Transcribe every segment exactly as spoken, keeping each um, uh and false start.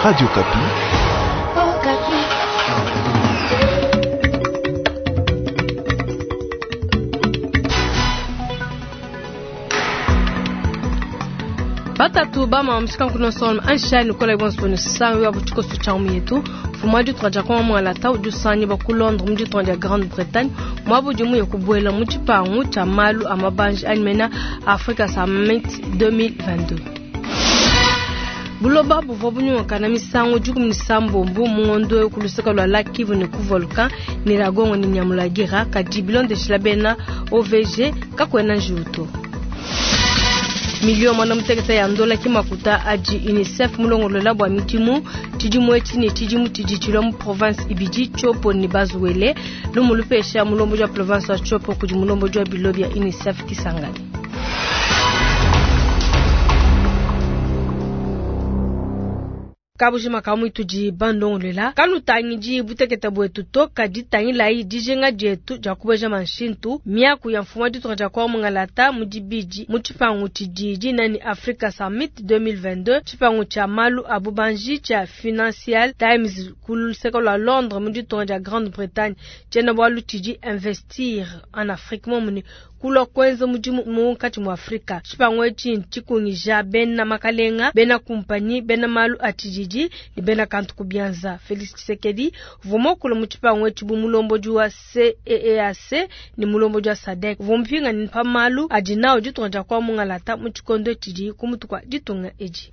Radio Okapi. Batatu bama mshikankuno son anshani kola ibonso sangu ya butikoso cha yetu fuma ditunga kwa mwalata ujusanyi ba ku Londres mu ditunga dia Grande-Bretagne mwabu dimu ya kubuela mu tshipangu tshia malu a mabanji animena Africa Summit deux mille vingt-deux. Buloba buvua bunyungakana misangu dikumi ne sambombo mu ngondo ku luseke lua Lac Kivu ne ku volcan Nyiragongo ne Nyamulagira kadi bilondeshila bena O V G kakuena njiwu to. Milio mwana muteketa ya ndola kimakuta aji UNICEF mulongolola bwa midimu tshidimu etshi ne tshidimu tshidi tshilua mu province ibidi Tshopo ne Bas-Uele lumulupesha mulombo wa province wa Tshopo kudi mulombo wa bilo bya UNICEF Kisangani. Kabujima kamwe tudi bandongolela kanutangidi buteketa bwetu to kadi tangilai dijinga dietu dia kubeja manshintu miaku ya mfumu wa ditunga dia kwa mungalata mu dibidi mu tshipangu tshidi dinani Africa Summit deux mille vingt-deux tshipangu tshia malu a bubanji tshia Financial Times ku luseke lua Londres mu ditunga dia Grande-Bretagne tshiena bualu tshidi investir en Afrique momune kulwa kwenza mudimu munkatshi mua Afrika. Tshipangu etshi tshikungija bena makalenga, bena kumpanyi, bena malu a tshididi ne bena kantu ku bianza. Felix Tshisekedi uvua muakule mu tshipangu etshi bu mulombodi wa C E E A C ne mulombodi wa SADC. Uvua mupingane pa malu adi nawu ditunga dia kwa mungalata mu tshikondo tshidi ku mutu kua ditunga edi.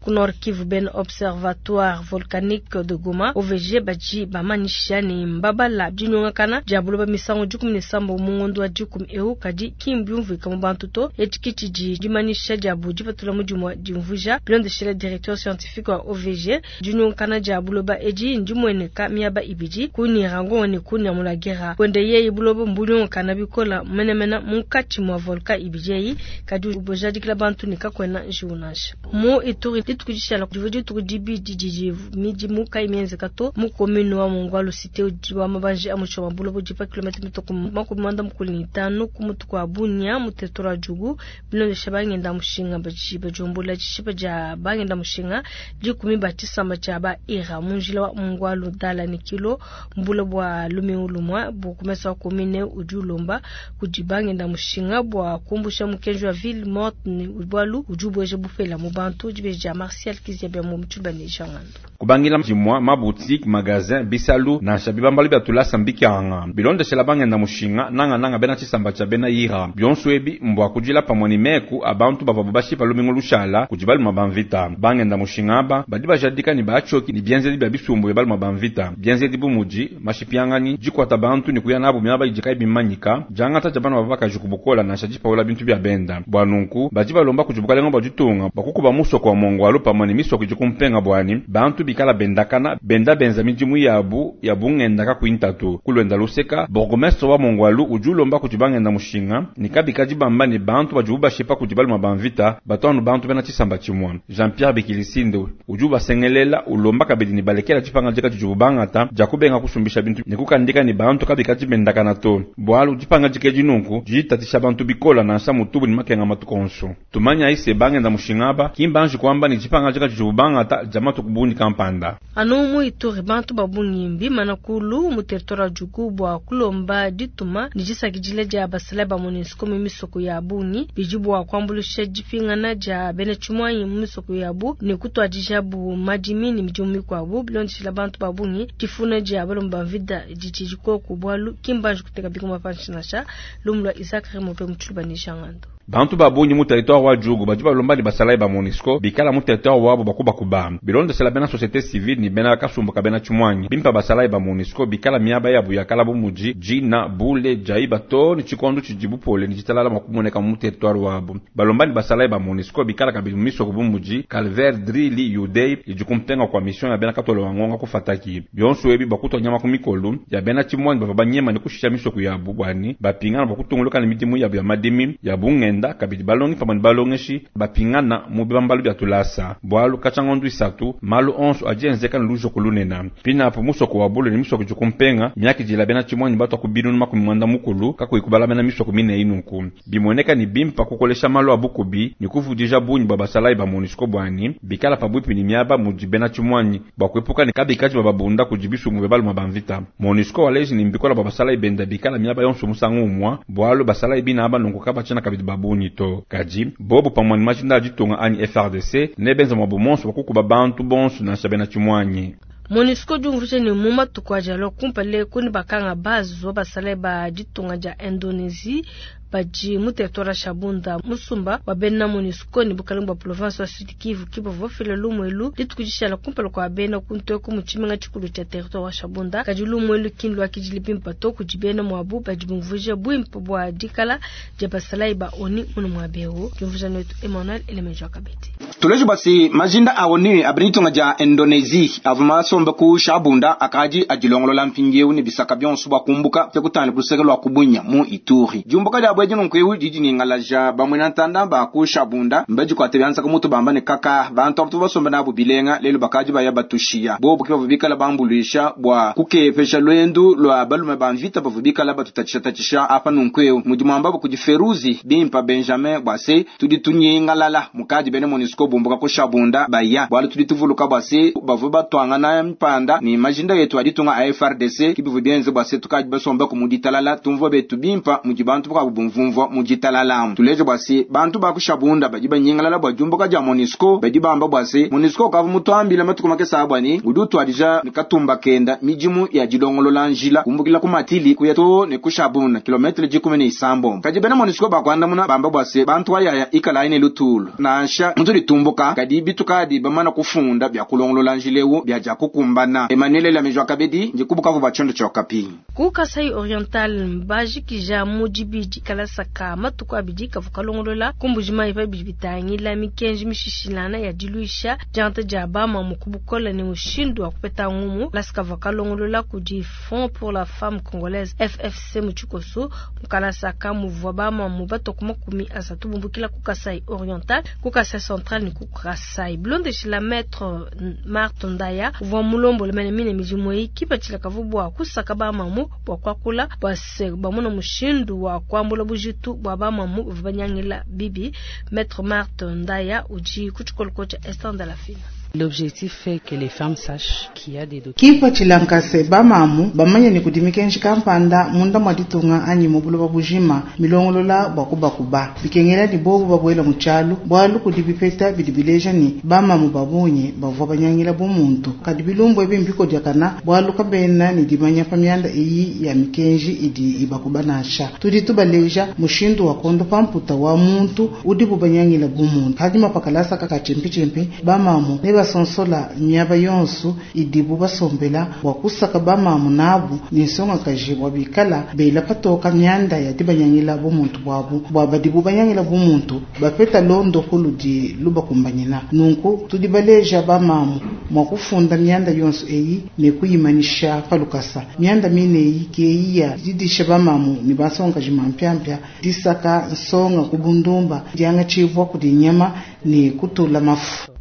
Ku Nord Kivu ben Observatoire Volcanique de Goma O V G baji bamanisha ne mbabala dinyongakana dia buloba misangu dikumi ne sambo mu ngondo wa dikumi eu kadi kimbiumvuika mu bantu to etshiki tshidi dimanisha dia bu dipatula mudimu wa dimvuja bilondeshela directeur scientifique wa O V G dinyongakana dia buloba edi ndimueneka miaba ibidi ku Nyiragongo ne ku Nyamulagira kwende yeye buloba mbunyongakana bikola menemene munkatshi mua volcan ibidi eyi kadi ubojadikila bantu ne kakuena njiwu nansha mu Ituri dituku dishala divu dituku dibidi didi midimu kayi mienzeka to mu commune wa Mongbwalu cité udi wa mabanji a mutsho wa buloba udi pa kilomètre mitoko makumi muanda mukulu ne itanu ku mutu kua Bunia mu territoire wa Djugu bilondesha bangenda mushinga badi bajumbula tshishipa dia bangenda mushinga dikumi ba tshisamba tshia ba Ira mu njila wa Mongbwalu dala ne kilo mbula bua lumingu lumwa bukumesa wa commune udi ulomba kudi bangenda mushinga bua kumbusha mukenji wa ville morte ne bualu udi ubweja bupela mu bantu dibeja Martial Kizia mu mtuba ne Jangando. Kubangila jimwa ma boutique magasin bisalu na shabiba mbali bya tulasa mbikanga bilonde shela bangenda mushinga nanga nanga bena tshisamba tshia bena ira bionso ebi mbwa kujila pamwe ni meku abantu bava babashi pa lumingu lushala kujibalu mabamvita bangenda mushinga ba badi bajadika ni bachoki ni bienzedi bya bisumbu bya balu mabamvita bienzedi bumuji mashipiangani jikwata bantu ni kuya nabo myaba ijikai bimanyika jangata jabana babaka jikubukola na shajipa wala bintu bya benda bwanunku baji balomba kujibuka lengo bajitunga bakukuba muso kwa Mongbwalu pamwe ni misoko jikumpenga bwani bantu bikala bendakana benda benza midimu yabu ya bungenda ka kuintatu kulwenda luseka bourgmestre wa Mongbwalu ujulomba kujibangenda mushinga nikabika jibamba ni bantu bajuba shepa kujibalu mabamvita batwanu bantu bena tshisamba tshimwa Jean-Pierre Bikilisinde ujuba sengelela ulomba kabidi ni balekela tshipanga jika tshijubangata jakubenga kusumbisha bintu nikukandika ni bantu kabika jibendakana to bwalu jipanga jike jinunku jitatisha bantu bikola na nsa mutubu ni makenga matukonso tumanya ise bangenda mushinga ba kimbanji kwamba ni jipanga jika tshijubangata jamatu kubuni kampanda anu mu Ituri bantu babungi mbimana kulu mu territoire ya Djugu bua kulomba dituma ni jisakidile dia basala ba MONUSCO mu misoko ya bungi bidi bua kuambulusha dipingana dia bena tshimwanyi mu misoko yabu ne kutuadija bu madimi ne midimu mikuabu bilondeshila bantu babungi difuna dia balomba mvita didi dikoku bualu kimbanji kuteka bikuma panshi nansha lumu lua Isaac Remope mu Tshiluba ne Jangando. Bantu babunyi mu territoire wa Djugu badi balomba ni basalayi ba MONUSCO bikala mu territoire wabo bakuba kuba bilonde sela bena société civile ni bena kasumbu ka bena tshimwanyi bimpa basalayi ba MONUSCO bikala miaba yabu yakala bu muji jina bule jaiba to ni tshikondo tshidibu pole ni tshitalala makumoneka mu territoire wabo balomba ni basalayi ba MONUSCO bikala kabidi mu misoko bu muji Calvaire Drili Yudei idikumpenga kwa mission ya bena katolo wangonga kufataki bionso ebi bakutwa nyama ku mikolu ya bena tshimwanyi bava banyema ni kushisha misoko yabu bwani bapingana bakutunguluka ni midimu yabu ya madimi ya bunge bangenda, kabidi balongi pamue ne balongeshi bapingana mu bibambalu bia tulasa. Bualu katshia ngondu isatu, malu onso adi enzeka ne lujoko lunene. Pinapo musoko wa Bule ne misoko idi kumpenga, miakidila bena tshimuanyi batua ku binunu makumi muanda mukulu, kakuyi kubala bena misoko mine nunku. Bimueneka ne bimpa kukolesha malu a bukubi ne kuvudija bungi bua basalayi ba MONUSCO buani bikala pabuipi ne miaba mudi bena tshimuanyi bua kuepuka ne kabikadi bababunda kudi bisumbu bia balume ba mvita. MONUSCO waleji ne mbikola bua basalayi benda bikala miaba yonso musangu umwa, bualu basalayi bina aba nunku kabatshiena kabidi babungi to. Kadi bobu pamue ne majinda a ditunga anyi F R D C ne benza mwabu monso bua kukuba bantu bonso nansha bena tshimuanyi. MONUSCO diumvuija ne mu matuku adi alua kumpala kuni bakanga bazo basalayi ba ditunga dia Indonesie badi mu territoire ya Shabunda musumba wa bena MONUSCO ne bukalenge bua province wa Sud Kivu ki bavua bafila lumuelu dituku dishala kumpala kua bena kuntoku mu tshimenga tshikulu tshia territoire wa Shabunda. Kadi lumuelu ki nluakidile bimpe to kudi bena muabu badi bumvuija buimpe bua dikala dia basalayi ba ONU munu muabewu. Diumvuija netu Emmanuel Elemejo Kabete. Tuleje basi majinda a ONU abeni ditunga dia Indonesie avua masombe ku Shabunda akadi adilongolola mpindieu ne bisaka bionso bua kumbuka pe kutangila ku luseke lua kubunya mu Ituri. Diumbuka dia bwedi nunku didi ningalaja bamwe ntanda ba ku Shabunda mbadikuate byanza ku mutu bamba ne kaka bantu abo basombe nabo bilenga lelo bakadi baya batushiya bobu ke bavua bikala bambuluisha bua kukepesha lwendu lua balume ba mvita bavua bikala batutatshisha apa nunku mudi mwamba kudi Feruzi bimpa Benjamin bwase tudi tunyingalala mukadi bene MONUSCO bumbuka ku Shabunda baya bwalu tudi tuvuluka bwase bavua batwangana mpanda ni majinda yetu aditunga a F R D C kibivu bienze bwase tukadi basomba ku muditalala tumvua betu bimpa mudi bantu bakabu bumvumvua muditalala tuleje bwase bantu ba ku Shabunda badi banyingalala bwa jumbuka dia MONUSCO badi bamba bwase MONUSCO kavu mutwambila matuku makesa abwani udi utwadija ne katumba kenda midimu ya dilongolola njila kumbukila ku matili kuya to ne ku Shabunda kilometre dikumi ne isambo kadi bena MONUSCO bakwandamuna bamba bwase bantu ayaya ikala ine lutulu nansha mutuli tumbuka kadi bitukadi bamana kufunda bya kulongolola njilewu bya ja kukumbana Emmanuel Lamejwa Kabedi ndikubuka kuba chondo cha Okapi. Ku Kasai Oriental mbajikija mudibidi kalasaka matuku abidi kavuka longolola kumbujima ipa bitangila mikenji mishishilana ya diluisha janta dia bama mukubukola ne mushindu wa kupeta ngumu lasika vakalongolola kudi Fonds pour la femme congolaise F F C muchikoso mukalasaka muvwa bama mubato kumakumi asatu bumbukila ku Kasai Oriental ku Kasai Central ni ku Kasai Blonde la maître Marthe Ndaya uvwa mulombo le mene midimu kipatshila kavubwa kusaka bamamu bwa kwakula bwa se bamona mushindu wa kwambula bujitu bwa bamamu banyangila bibi maître Marthe Ndaya uji kuchikoloko cha Esther Ndalafina. L'objectif est que les femmes sachent qu'il y a des documents. Kipatshila nkase bamamu bamanye ne kudi mikenji kampanda munda mwa ditunga anyi mu buloba bujima milongolola bwa kubakuba bikengela ni bobu babwela mu tshialu bwalu kudi bipeta bidi bileja ni bamamu babunye bavua banyangila bumuntu kadi bilumbu ebi mbikodiakana bwalu kabena ni dimanya pa mianda eyi ya mikenji idi ibakuba nansha tudi tubaleja mushindu wa kondo pamputa wa muntu udi bubanyangila bumuntu hadima pakalasa kakachimpichimpi bamamu ne basonsola miaba yonso idibu basombela bwa kusaka bamamu nabu ni nsonga kaji bwa bikala bela patoka mianda ya dibanyangila bumuntu bwabu bwa badibu banyangila bumuntu bapeta londo kuludi lubakumbanyina nunku tudi baleja bamamu mwa kufunda mianda yonso eyi ne kuyimanisha palukasa mianda mine eyi keyi ya didisha bamamu ni basonga jimampiampia disaka nsonga kubundumba dianga chivwa kudi nyama ni kutula mafu.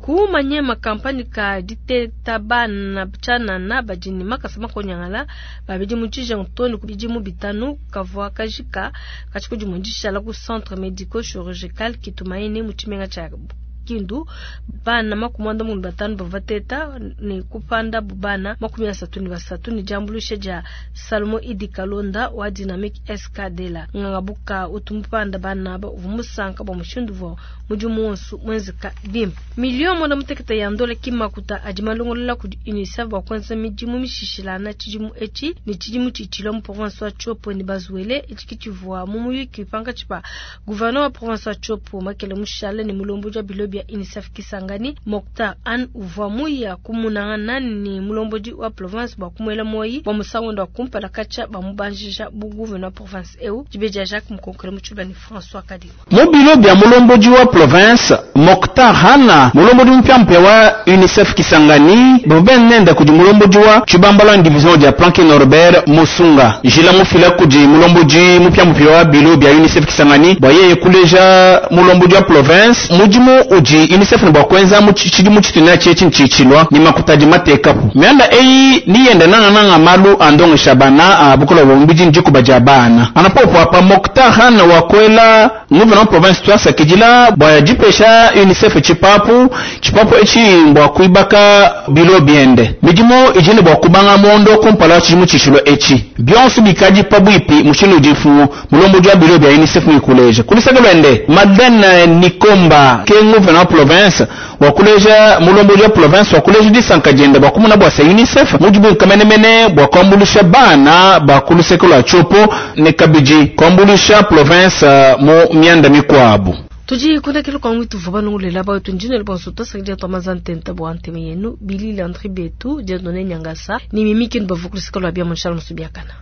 Kumanye kampani ka diteta bana chana na bajini makasa makonyangala babidi mutije ntoni kubidi mu bitanu kavwa kajika kachiko mundisha la ku centre médico chirurgical kitumaine muchimenga cha Kindu bana makumanda mundu batanu bavateta ni kupanda bubana makumi asatu ni basatu ni jambulusha ja Salomo Idi Kalonda wa Dynamic S K D la ngangabuka utumpanda bana ba uvumusanka ba mushindu vo mujumu wonsu mwenzeka bim milion mwana muteketa ya ndola kimakuta ajimalongolola kudi UNICEF ba kwanza mijimu mishishilana chijimu echi ni chijimu chichilo mu province wa Tshopo ni bazuele echi kichivua mu muyuki panga chipa gouverneur wa province wa Tshopo Makele Mushale ni mulombo ja bilo bia UNICEF Kisangani Moctar Anne uvua muya kumunangana ne mulombodi wa province bua kumuela moyi bua musangu wende wa kumpala katshia bamubanjija bu gouverneur wa province eu. Dibeji Jacques Mukonkole mu tshiluba ne François Kadima. Mu bilo bia mulombodi wa province Moctar Hanna mulombodi mpyampya wa UNICEF Kisangani bove nenda kudi mulombodi wa tshibambala division dia Planke Norbert Musunga jila mufila kudi mulombodi mupyampya wa bilo bia UNICEF Kisangani bua yeye kuleja mulombodi wa province mudimu udi UNICEF ne bua kuenza mu tshidimu tshituna tshietshi ntshitshilwa ni makutadi matekapu mianda eyi niyenda nangananga malu andongesha bana a bukola bwa mbidi ndikuba dia bana anapopo apa Moctar Hanna wakwela gouverneur province twasakidila bua dipesha UNICEF tshipapu tshipapu etshi bua kuibaka bilo biende midimu idi ne bua kubanga mondo kumpala tshidimu tshishilo etshi bionso bikadi pabuipi mushindu udi mfumu mulombodi wa bilo bia UNICEF muikuleja kuluseke lwende Madeleine Nikomba ke gouverneur province wakuleja mulombodi wa province wakuleja disanka diende bua kumuna bua sa UNICEF mudimu nkamenemene bua kuambulisha bana ba kuluseke lua tshopo ne kabidi kuambulisha province mu mianda mikuabu. Tudi kundakilo kwa mwitu vuba nungulela ba wetu njino bonso tosakija twamaza ntenta bua nteme yenu Billy Landry Betu Dieudonné Nyangasa ni mimi kinu bavukulisika lwa bia Montchal Musubiakana.